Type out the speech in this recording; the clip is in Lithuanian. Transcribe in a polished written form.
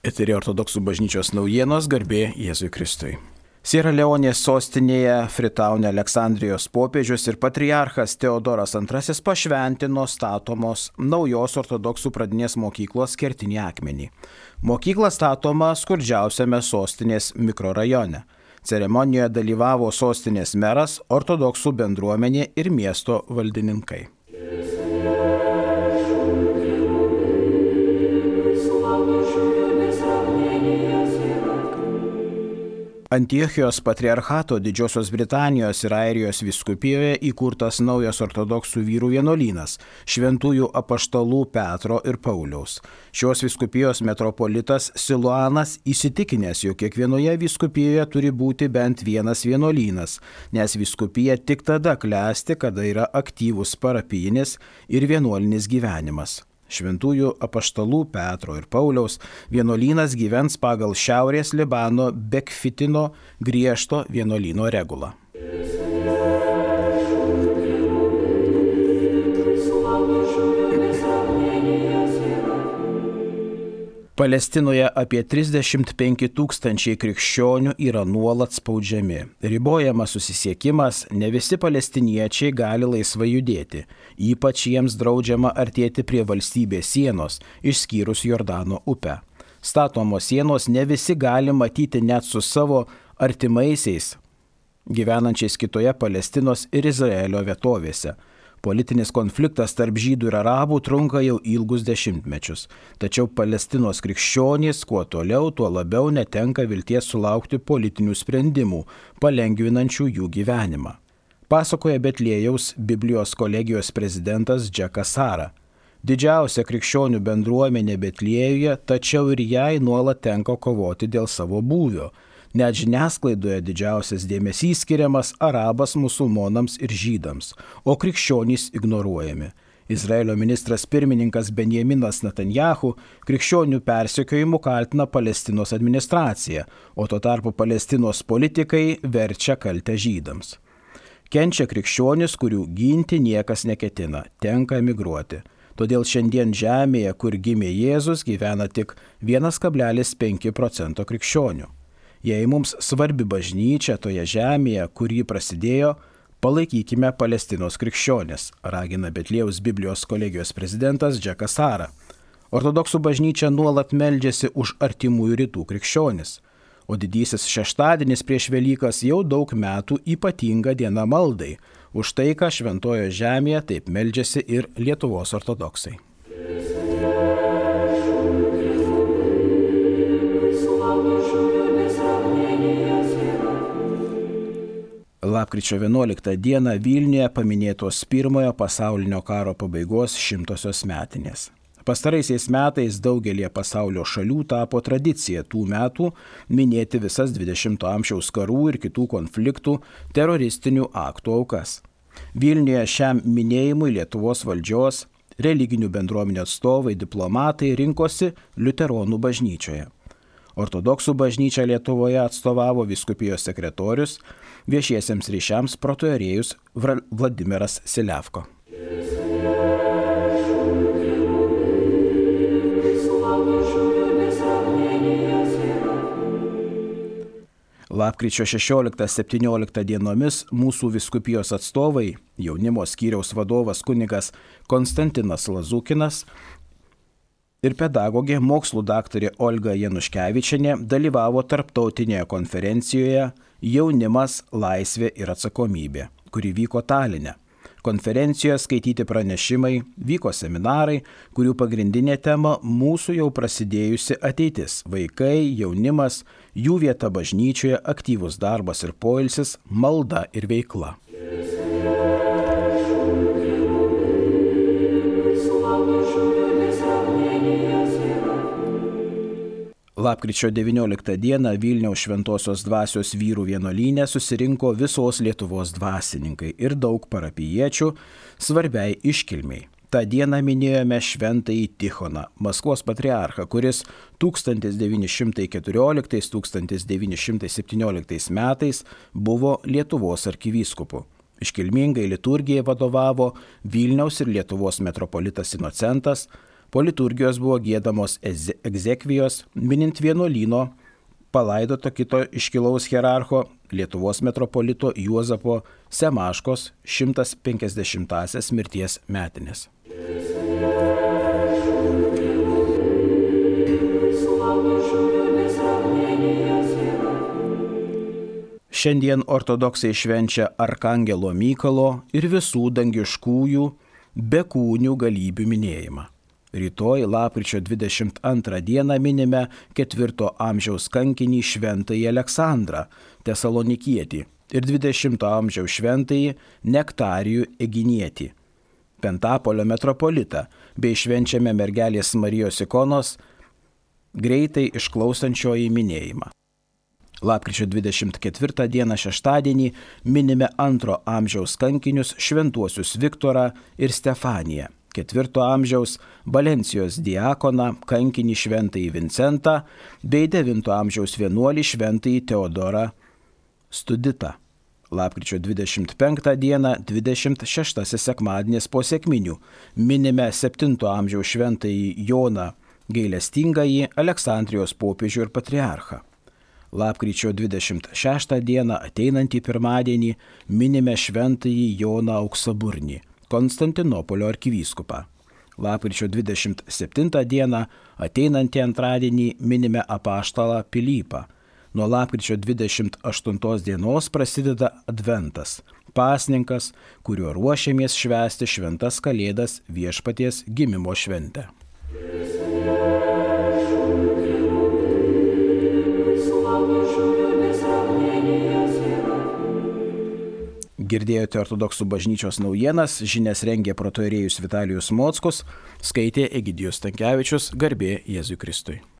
Eteryje Ortodoksų bažnyčios naujienos, garbė Jėzui Kristui. Siera Leonės sostinėje Fritaune Aleksandrijos popiežius ir patriarchas Teodoras II pašventino statomos naujos ortodoksų pradinės mokyklos kertinį akmenį. Mokykla statoma skurdžiausiame sostinės mikrorajone. Ceremonijoje dalyvavo sostinės meras, ortodoksų bendruomenė ir miesto valdininkai. Antiochijos patriarchato Didžiosios Britanijos ir Airijos vyskupijoje įkurtas naujas ortodoksų vyrų vienuolynas šventųjų apaštalų Petro ir Pauliaus. Šios vyskupijos metropolitas Siluanas įsitikinęs, jog kiekvienoje vyskupijoje turi būti bent vienas vienuolynas, nes vyskupija tik tada klesti, kada yra aktyvus parapijinis ir vienuolinis gyvenimas. Šventųjų apaštalų Petro ir Pauliaus vienuolynas gyvens pagal Šiaurės Libano Bekfitino griežto vienuolyno regulą. Palestinoje apie 35 000 krikščionių yra nuolat spaudžiami. Ribojamas susisiekimas, ne visi palestiniečiai gali laisvai judėti, ypač jiems draudžiama artėti prie valstybės sienos, išskyrus Jordano upę. Statomos sienos ne visi gali matyti net su savo artimaisiais, gyvenančiais kitoje Palestinos ir Izraelio vietovėse. Politinis konfliktas tarp žydų ir arabų trunka jau ilgus dešimtmečius, tačiau Palestinos krikščionys kuo toliau, tuo labiau netenka vilties sulaukti politinių sprendimų, palengvinančių jų gyvenimą. Pasakoja Betliejaus Biblijos kolegijos prezidentas Džekas Sara. Didžiausia krikščionių bendruomenė Betliejuje, tačiau ir jai nuolat tenka kovoti dėl savo būvio. Net žiniasklaidoje didžiausias dėmesys skiriamas arabas musulmonams ir žydams, o krikščionys ignoruojami. Izraelio ministras pirmininkas Benjaminas Netanjahu krikščionių persekiojimu kaltina Palestinos administraciją, o tuo tarpu Palestinos politikai verčia kaltę žydams. Kenčia krikščionys, kurių ginti niekas neketina, tenka emigruoti. Todėl šiandien žemėje, kur gimė Jėzus, gyvena tik 1,5% krikščionių. Jei mums svarbi bažnyčia toje žemėje, kur ji prasidėjo, palaikykime Palestinos krikščionis, ragina Betliejaus Biblijos kolegijos prezidentas Džekas Sara. Ortodoksų bažnyčia nuolat meldžiasi už artimųjų rytų krikščionis, o didysis šeštadienis prieš Velykas jau daug metų ypatinga diena maldai. Už tai, ką šventojo žemėje taip meldžiasi ir Lietuvos ortodoksai. Lapkričio 11 dieną Vilniuje paminėtos pirmojo pasaulinio karo pabaigos 100-osios metinės. Pastaraisiais metais daugelie pasaulio šalių tapo tradicija tų metų minėti visas 20-ojo amžiaus karų ir kitų konfliktų teroristinių aktų aukas. Vilniuje šiam minėjimui Lietuvos valdžios, religinių bendruomenių atstovai, diplomatai rinkosi liuteronų bažnyčioje. Ortodoksų bažnyčią Lietuvoje atstovavo vyskupijos sekretorius, viešiesiems ryšiams protoierėjus Vladimiras Silevko. Lapkričio 16-17 dienomis mūsų vyskupijos atstovai, jaunimo skyriaus vadovas kunigas Konstantinas Lazukinas ir pedagogė mokslų daktarė Olga Januškevičienė dalyvavo tarptautinėje konferencijoje Jaunimas, laisvė ir atsakomybė, kuri vyko Taline. Konferencijoje skaityti pranešimai, vyko seminarai, kurių pagrindinė tema mūsų jau prasidėjusi ateitis – vaikai, jaunimas, jų vieta bažnyčioje, aktyvus darbas ir poilsis, malda ir veikla. Lapkričio 19 dieną Vilniaus Šventosios dvasios vyrų vienuolyne susirinko visos Lietuvos dvasininkai ir daug parapijiečių svarbiai iškilmiai. tą dieną minėjome šventąjį Tichoną, Maskvos patriarchą, kuris 1914-1917 metais buvo Lietuvos arkivyskupu. Iškilmingai liturgijai vadovavo Vilniaus ir Lietuvos metropolitas Inocentas, Po liturgijos buvo giedamos egzekvijos, minint vienuolyno palaidoto kito iškilaus hierarcho Lietuvos metropolito Juozapo Semaškos 150-asias mirties metinės. Šiandien ortodoksai švenčia Arkangelo Mykolo ir visų dangiškųjų bekūnių galybių minėjimą. Rytoj lapkričio 22 dieną minime 4 amžiaus kankinį šventąjį Aleksandrą Tesalonikietį ir 20 amžiaus šventąjį Nektarijų Eginietį, Pentapolio metropolitą, bei švenčiame mergelės Marijos ikonos greitai išklausančioji minėjimą. Lapkričio 24 dieną šeštadienį minime 2 amžiaus kankinius šventuosius Viktorą ir Stefaniją, 4 amžiaus Valencijos diakoną kankinį šventąjį Vincentą bei 9 amžiaus vienuolį šventąjį Teodorą Studitą. Lapkričio 25 dieną 26 sekmadienis po sekminių minime 7 amžiaus šventąjį Joną Gailestingąjį, Aleksandrijos popiežių ir patriarchą. Lapkričio 26 dieną ateinantį pirmadienį minime šventąjį Joną Auksaburnį, Konstantinopolio arkivyskupą. Lapkričio 27 dieną ateinantį antradienį minime apaštalą Pilypą. Nuo lapkričio 28 dienos prasideda Adventas, pasninkas, kuriuo ruošiamės švęsti šventas Kalėdas Viešpaties gimimo šventę. Girdėjote ortodoksų bažnyčios naujienas, žinias rengė protoierėjus Vitalijus Mockus, skaitė Egidijus Stankevičius, garbė Jėzui Kristui.